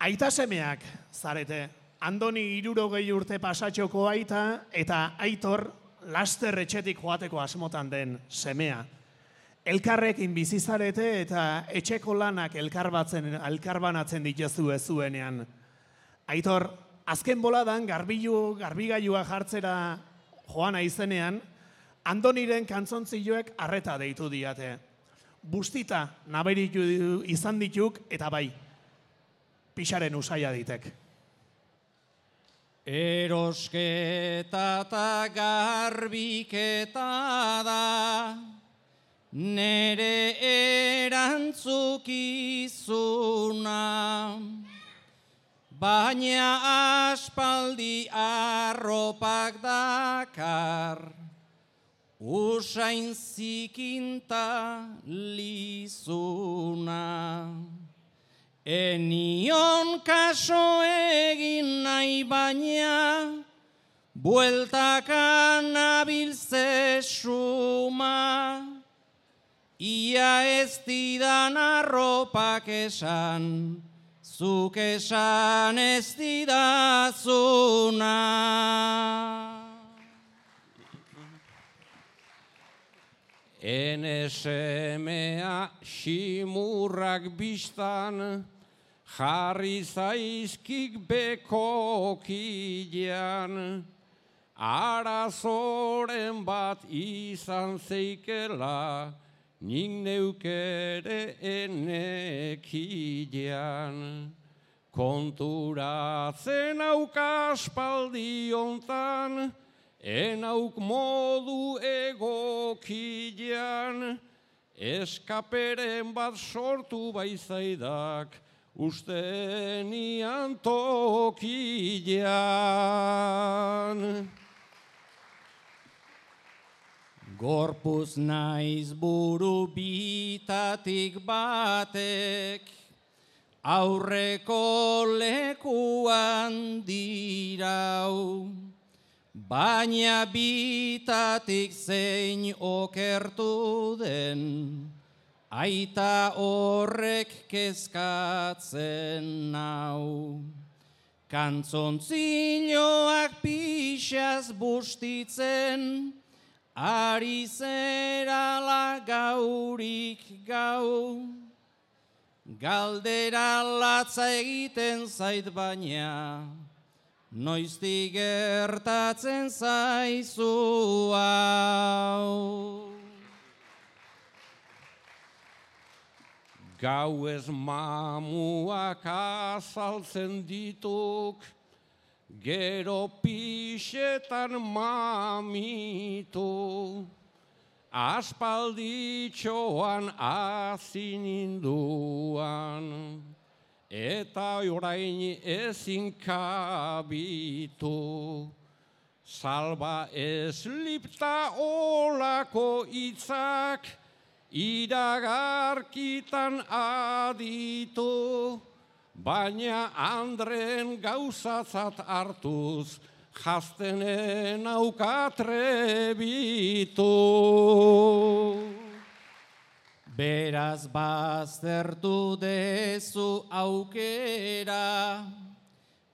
Aita semeak zarete, Andoni 60 urte pasatxoko aita eta Aitor laster etxetik joateko asmotan den semea. Elkarrekin bizizarete eta etxeko lanak elkarbanatzen dituzue zuenean. Aitor, azken boladan garbigailua jartzera joana izenean, Andoniren kantzontzioek arreta deitu diate. Bustita naberitu izan dituk eta bai, pixaren usaia ditek. Erosketa eta garbiketa da, nere erantzukizuna, baina aspaldi arropak dakar, usain zikinta lizuna. Enion kaso egin nahi baina, bueltakan abiltze suma, ia ez didan arropak esan, zuk esan ez didazuna. Enesemea ximurrak biztan, jarri zaizkik bekokilean, arazoren bat izan zeikela, nik neukere enekilean. Konturatzen aukaspaldi hontan, enauk modu egokilean, eskaperen bat sortu baizaidak, ustenian tokilean. Gorpuz naiz buru bitatik batek, aurreko lekuan dirau, baina bitatik zein okertu den, aita horrek kezkatzen nau. Kantzontzilloak pixaz bustitzen, ari zerala gaurik gau. Galdera latza egiten zait baina, noiztik gertatzen zaizu hau. Gauez mamuak azaltzen dituk, gero pixetan mamitu. Aspalditxoan hasi ninduan, eta orain ezin kabitu. Salba eslipta olako hitzak, iragarkitan aditu, baina Andren gauzatzat hartuz, jaztenen aukatrebitu. Beraz baztertu dezu aukera,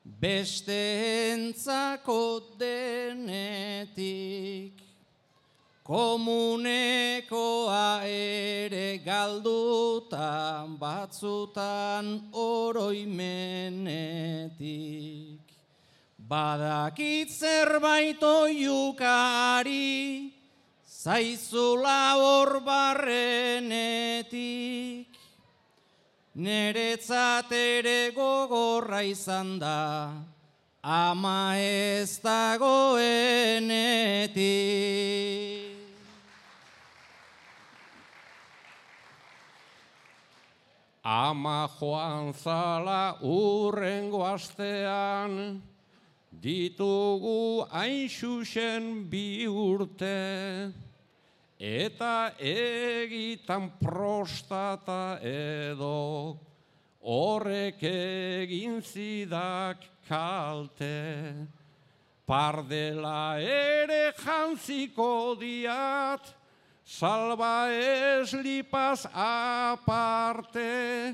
besteentzako denetik, komunekoa ere galdutan, batzutan oroimenetik. Badakit zerbait oiukari, zaizula hor barrenetik. Neretzat ere gogorra izan da, ama ez dagoenetik. Ama joan zala urrengo astean, ditugu hain xuxen 2 urte, eta egitan prostata edo, horrek egin zidak kalte. Pardela ere jantziko diat, salba eslipaz aparte,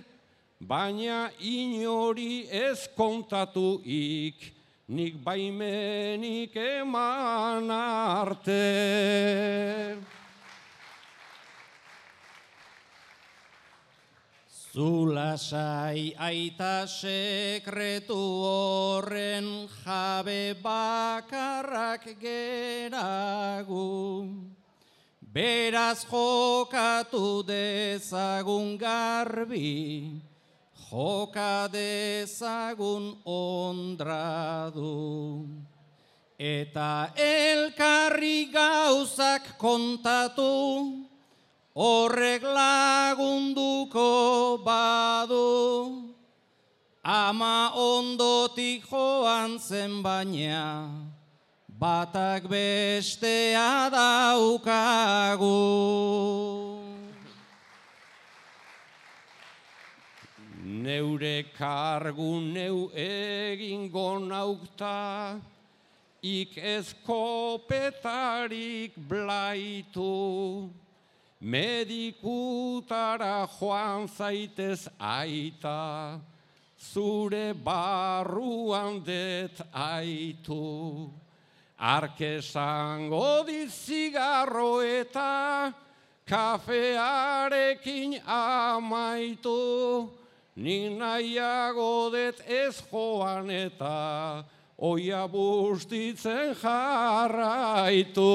baina inori ez kontatuik, nik baimenik eman arte. Zulasai aita sekretu horren jabe bakarrak geragu. Beraz jokatu dezagun garbi, joka dezagun ondradu. Eta elkarri gauzak kontatu, horrek lagunduko badu. Ama ondotik joan zen baina, batak bestea daukagu. Neure kargu neu egingo naukta, ik ez kopetarik blaitu. Medikutara joan zaitez aita, zure barruan det aitu. Arkesango dit zigarro eta kafearekin amaitu. Nik nahiago det ez joan eta oia bustitzen jarraitu.